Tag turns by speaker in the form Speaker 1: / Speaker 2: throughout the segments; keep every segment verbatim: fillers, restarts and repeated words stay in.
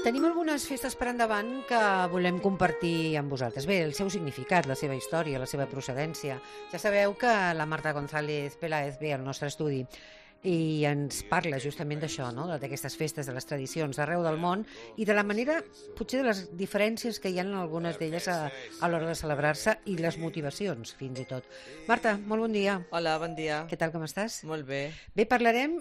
Speaker 1: Tenim algunes festes per endavant que volem compartir amb vosaltres. Bé, el seu significat, la seva història, la seva procedència. Ja sabeu que la Marta González Peláez ve al nostre estudi i ens parla justament d'això, no? D'aquestes festes, de les tradicions d'arreu del món i de la manera, potser de les diferències que hi ha en algunes d'elles a, a l'hora de celebrar-se i les motivacions, fins i tot. Marta, molt bon dia.
Speaker 2: Hola, bon dia.
Speaker 1: Què tal, com estàs?
Speaker 2: Molt bé.
Speaker 1: Bé, parlarem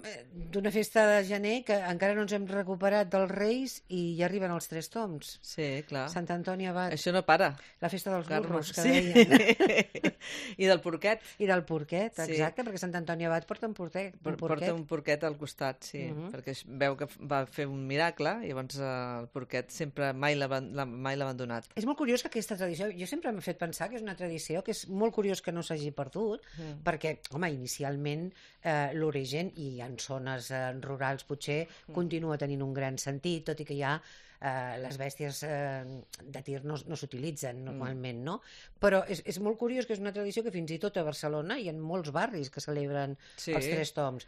Speaker 1: d'una festa de gener que encara no ens hem recuperat dels Reis i ja arriben els tres toms.
Speaker 2: Sí, clar.
Speaker 1: Sant Antoni Abat.
Speaker 2: Això no para.
Speaker 1: La festa dels burros, que
Speaker 2: sí.
Speaker 1: deien.
Speaker 2: I del porquet.
Speaker 1: I del porquet,
Speaker 2: Sí.
Speaker 1: exacte, perquè Sant Antoni Abat porta un porquet. Un
Speaker 2: Porta
Speaker 1: porquet.
Speaker 2: un porquet al costat, sí,
Speaker 1: Mhm.
Speaker 2: perquè es veu que va fer un miracle i llavors eh, el porquet sempre mai l'ha aban- l'ha- mai l'ha abandonat.
Speaker 1: És molt curiós que aquesta tradició, jo sempre m'he fet pensar que és una tradició que és molt curiós que no s'hagi perdut,
Speaker 2: Mm.
Speaker 1: perquè, home, inicialment eh, l'origen, i en zones eh, rurals potser, continua tenint un gran sentit, tot i que ja eh, les bèsties eh, de tir no, no s'utilitzen normalment, no? Però és, és molt curiós que és una tradició que fins i tot a Barcelona hi ha molts barris que celebren
Speaker 2: Sí.
Speaker 1: els tres toms.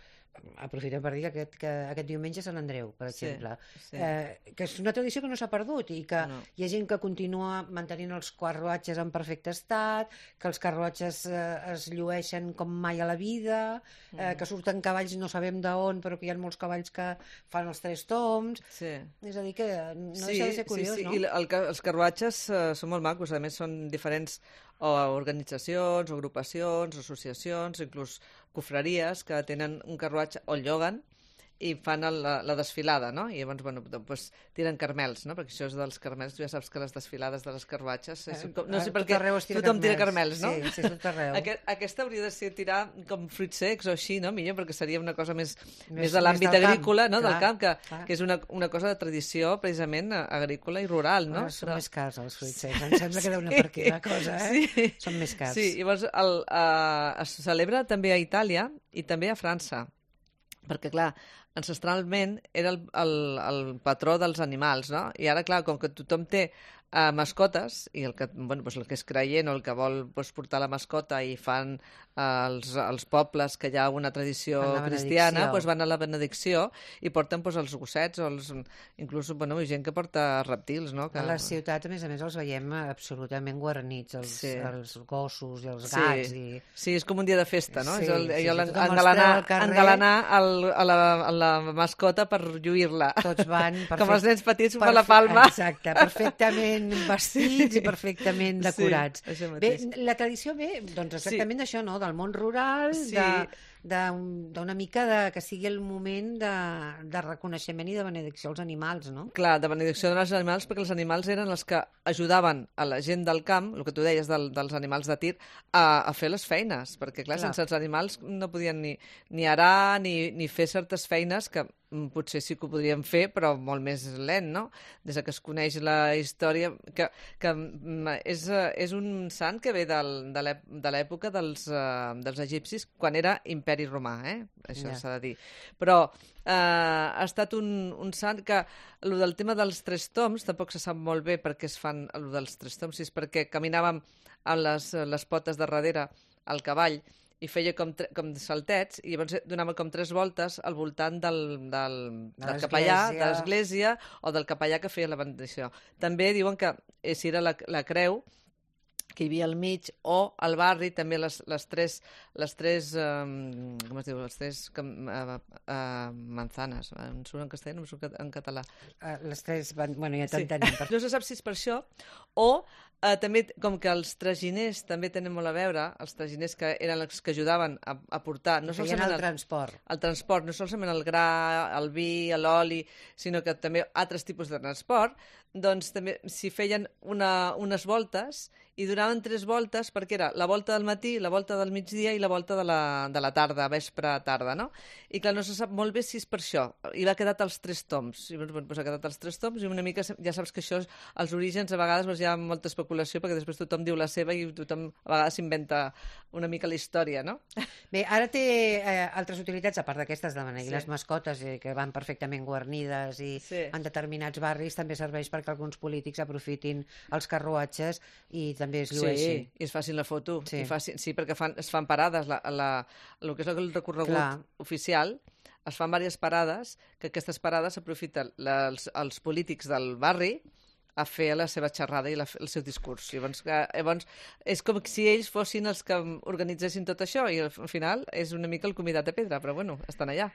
Speaker 1: Aprofitem per dir que aquest, que aquest diumenge és Sant Andreu, per
Speaker 2: Sí,
Speaker 1: exemple.
Speaker 2: sí.
Speaker 1: Eh, que és una tradició que no s'ha perdut i que
Speaker 2: No.
Speaker 1: hi ha gent que continua mantenint els carruatges en perfecte estat, que els carruatges eh, es llueixen com mai a la vida, eh, que surten cavalls no sabem d'on, però que hi ha molts cavalls que fan els tres toms.
Speaker 2: Sí.
Speaker 1: És a dir, que no deixa de ser curiós,
Speaker 2: sí, sí.
Speaker 1: no?
Speaker 2: I el, ca- els carruatges eh, són molt macos, a més són diferents o organitzacions, o agrupacions, o associacions, inclús cofreries que tenen un carruatge o el lloguen i fan el, la, la desfilada, no? I llavors, bueno, doncs tiren carmels, no? Perquè això és dels carmels, tu ja saps que les desfilades de les carruatges... És, com, no sé
Speaker 1: Eh,
Speaker 2: per
Speaker 1: tot
Speaker 2: què
Speaker 1: arreu es tira
Speaker 2: tothom tira
Speaker 1: carmels.
Speaker 2: carmels, no?
Speaker 1: Sí, sí, tot arreu.
Speaker 2: Aquest, aquesta hauria de ser tirar com fruits secs o així, no? Millor, perquè seria una cosa més, més,
Speaker 1: Més-
Speaker 2: de l'àmbit
Speaker 1: més del camp,
Speaker 2: agrícola, no?
Speaker 1: clar,
Speaker 2: del camp, que,
Speaker 1: clar.
Speaker 2: que és una, una cosa de tradició precisament eh, agrícola i rural, no?
Speaker 1: Ah, són
Speaker 2: Però-
Speaker 1: més cars els fruits secs. Em sembla que deu anar per aquí la cosa, eh?
Speaker 2: Sí.
Speaker 1: Són més cars.
Speaker 2: Sí, llavors el, uh, es celebra també a Itàlia i també a França, perquè, clar, ancestralment era el, el, el patró dels animals, no? I ara, clar, com que tothom té uh, mascotes, i el que, bueno, doncs el que és creient o el que vol doncs, portar la mascota i fan uh, els, els pobles que hi ha una tradició
Speaker 1: Fan la
Speaker 2: cristiana,
Speaker 1: benedicció.
Speaker 2: doncs van a la benedicció i porten doncs, els gossets o els, inclús bueno, gent que porta reptils, no? Que...
Speaker 1: A les ciutats, a més a més, els veiem absolutament guarnits, els,
Speaker 2: Sí.
Speaker 1: els gossos i els
Speaker 2: Sí.
Speaker 1: gats. I...
Speaker 2: Sí, és com un dia de festa, no?
Speaker 1: Sí,
Speaker 2: és el,
Speaker 1: sí,
Speaker 2: allò,
Speaker 1: sí, tothom els
Speaker 2: engalanar,
Speaker 1: treu al carrer.
Speaker 2: engalanar el, a, la, a la mascota per lluir-la.
Speaker 1: Tots van perfect...
Speaker 2: Com els nens petits per
Speaker 1: perfe-
Speaker 2: la palma.
Speaker 1: Exacte, perfectament vestits i perfectament decorats.
Speaker 2: Sí, això
Speaker 1: Bé,
Speaker 2: mateix.
Speaker 1: la tradició ve, doncs exactament d'això, no? Del món rural,
Speaker 2: Sí.
Speaker 1: de d'un- d'una mica de, que sigui el moment de, de reconeixement i de benedicció als animals, no?
Speaker 2: Clar, de benedicció dels animals, perquè els animals eren els que ajudaven a la gent del camp, el que tu deies del, dels animals de tir, a, a fer les feines, perquè clar,
Speaker 1: Clar.
Speaker 2: sense els animals no podien ni, ni arar ni, ni fer certes feines que mm, potser sí que ho podríem fer, però molt més lent, no? Des de que es coneix la història, que, que mm, és, eh, és un sant que ve del, de l'èp- de l'època dels, eh, dels egipcis, quan era imperi romà, eh? Això
Speaker 1: Ja.
Speaker 2: s'ha de dir. Però eh, ha estat un, un sant que el del tema dels tres toms tampoc se sap molt bé per què es fan el dels tres toms, si és perquè caminàvem amb les, les potes de darrere al cavall i feia com, tre- com saltets i llavors donava com tres voltes al voltant del, del,
Speaker 1: De
Speaker 2: del capellà,
Speaker 1: l'església.
Speaker 2: de l'església o del capellà que feia la benedicció. També diuen que eh, si era la, la creu que hi havia al mig, o al barri també les, les tres, les tres um, com es diu, les tres uh, uh, manzanes, em surt en castellà, no em surt en català.
Speaker 1: Eh, Les tres van... Bueno, ja
Speaker 2: Sí.
Speaker 1: t'entenem. Per...
Speaker 2: No se sap si és per això, o eh, també, com que els traginers també tenen molt a veure, els traginers que eren els que ajudaven a, a portar... No
Speaker 1: Feien
Speaker 2: solament
Speaker 1: el transport.
Speaker 2: el transport, no solament el gra, el vi, l'oli, sinó que també altres tipus de transport, doncs també s'hi feien una, unes voltes i duraven tres voltes perquè era la volta del matí, la volta del migdia i la volta de la, de la tarda, vespre tarda, no? I clar, no se sap molt bé si és per això. I l'ha quedat els tres toms. I doncs, doncs ha quedat els tres toms i una mica, ja saps que això, els orígens, a vegades doncs, hi ha molta especulació perquè després tothom diu la seva i tothom a vegades s'inventa una mica la història, no?
Speaker 1: Bé, ara té eh, altres utilitats, a part d'aquestes de beneir
Speaker 2: Sí.
Speaker 1: les mascotes, eh, que van perfectament guarnides i
Speaker 2: Sí.
Speaker 1: en determinats barris també serveix perquè alguns polítics aprofitin els carruatges i també es llueixin.
Speaker 2: Sí, i es facin la foto.
Speaker 1: Sí.
Speaker 2: I facin, sí, perquè fan, es fan parades. La, la, el que és el recorregut
Speaker 1: Clar.
Speaker 2: oficial es fan diverses parades, que aquestes parades s'aprofiten els, els polítics del barri a fer la seva xerrada i la, el seu discurs. Llavors, que, llavors, és com si ells fossin els que organitzessin tot això i al final és una mica el convidat de pedra, però bueno, estan allà.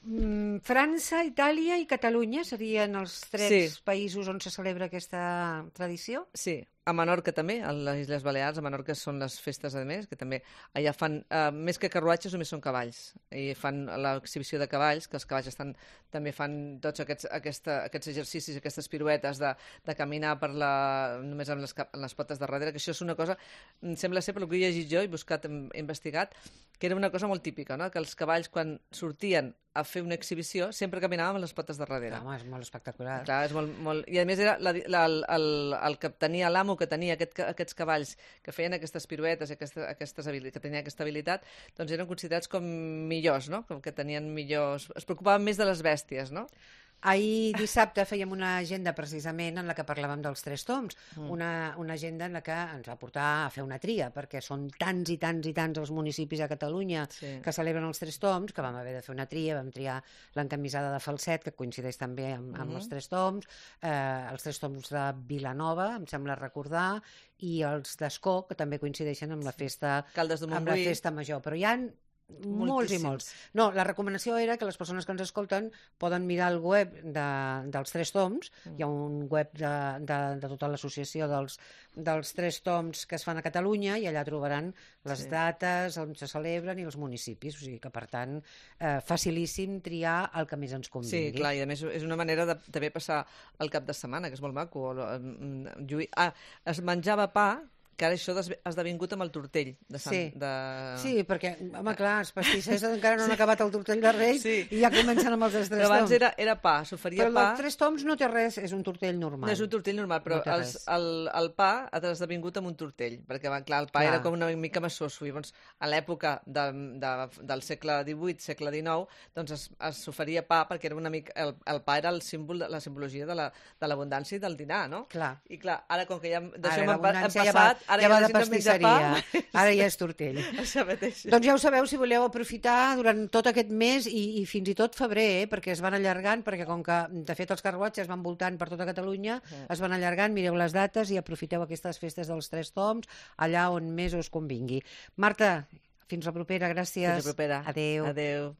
Speaker 1: Mm, França, Itàlia i Catalunya serien els tres
Speaker 2: Sí.
Speaker 1: països on se celebra aquesta tradició?
Speaker 2: Sí, a Menorca també, a les Illes Balears, a Menorca són les festes a més, que també allà fan, eh, més que carruatges, només són cavalls, i fan l'exhibició de cavalls, que els cavalls estan, també fan tots aquests, aquesta, aquests exercicis, aquestes piruetes de, de caminar per la, només amb les, cap- amb les potes de darrere, que això és una cosa, em sembla ser, per el que he llegit jo, he buscat, he investigat, que era una cosa molt típica, no? Que els cavalls, quan sortien a fer una exhibició, sempre caminaven amb les potes de darrere.
Speaker 1: Home, és molt espectacular.
Speaker 2: Clar, és molt, molt... I a més era la, la, el, el, el que tenia l'amo que tenia aquest, aquests cavalls que feien aquestes piruetes, aquestes, aquestes habili- que tenien aquesta habilitat, doncs eren considerats com millors, no? Com que tenien millors... Es preocupaven més de les bèsties, no?
Speaker 1: Ahir dissabte fèiem una agenda precisament en la que parlàvem dels tres toms,
Speaker 2: Mm.
Speaker 1: una, una agenda en la que ens va portar a fer una tria, perquè són tants i tants i tants els municipis a Catalunya
Speaker 2: Sí.
Speaker 1: que celebren els tres toms, que vam haver de fer una tria, vam triar l'encamisada de Falset, que coincideix també amb, amb
Speaker 2: Mhm.
Speaker 1: els tres toms, eh, els tres toms de Vilanova, em sembla recordar, i els d'Escó, que també coincideixen amb la festa,
Speaker 2: Caldes de
Speaker 1: amb la
Speaker 2: Montbui.
Speaker 1: festa major, però hi ha molts i
Speaker 2: Moltíssims.
Speaker 1: molts. No, la recomanació era que les persones que ens escolten poden mirar el web de, dels Tres Toms,
Speaker 2: Mm.
Speaker 1: hi ha un web de, de, de tota l'associació dels, dels Tres Toms que es fan a Catalunya i allà trobaran les
Speaker 2: Sí.
Speaker 1: dates on se celebren i els municipis, o sigui que per tant eh, facilíssim triar el que més ens
Speaker 2: Sí,
Speaker 1: convingui.
Speaker 2: clar, i a més és una manera de també passar el cap de setmana, que és molt maco. O, mm, lluir- Ah, es menjava pa, que ara això ha esdevingut amb el tortell de Sant...
Speaker 1: Sí.
Speaker 2: De...
Speaker 1: Sí, perquè, home, clar, els pastissers encara no han acabat el tortell de Reis
Speaker 2: Sí.
Speaker 1: i ja comencen amb els dels Tres
Speaker 2: Però abans
Speaker 1: Toms.
Speaker 2: era, era pa, s'oferia
Speaker 1: Però el
Speaker 2: pa...
Speaker 1: dels Tres Toms no té res, és un tortell normal.
Speaker 2: No és un tortell normal, però
Speaker 1: No té
Speaker 2: els,
Speaker 1: res.
Speaker 2: el, el pa ha esdevingut amb un tortell, perquè va, clar, el pa
Speaker 1: Clar.
Speaker 2: era com una mica massoso. I llavors, a l'època de, de, del segle divuit, segle dinou, doncs es, es s'oferia pa perquè era una mica, el, el pa era el símbol, de, la simbologia de la- de l'abundància i del dinar, no?
Speaker 1: Clar.
Speaker 2: I clar, ara com que ja
Speaker 1: Ara
Speaker 2: d'això hem, pa- hem
Speaker 1: l'abundància
Speaker 2: passat,
Speaker 1: ja va,
Speaker 2: ara
Speaker 1: ja va
Speaker 2: la
Speaker 1: de
Speaker 2: gent no menja
Speaker 1: pastisseria,
Speaker 2: pa.
Speaker 1: ara ja és tortell.
Speaker 2: Això mateix.
Speaker 1: Doncs ja ho sabeu, si voleu aprofitar durant tot aquest mes i, i fins i tot febrer, eh, perquè es van allargant, perquè com que de fet els carruatges van voltant per tota Catalunya,
Speaker 2: Mm.
Speaker 1: es van allargant, mireu les dates i aprofiteu aquestes festes dels Tres Toms allà on més us convingui. Marta, fins la propera, gràcies.
Speaker 2: Fins la propera.
Speaker 1: Adéu.
Speaker 2: Adéu.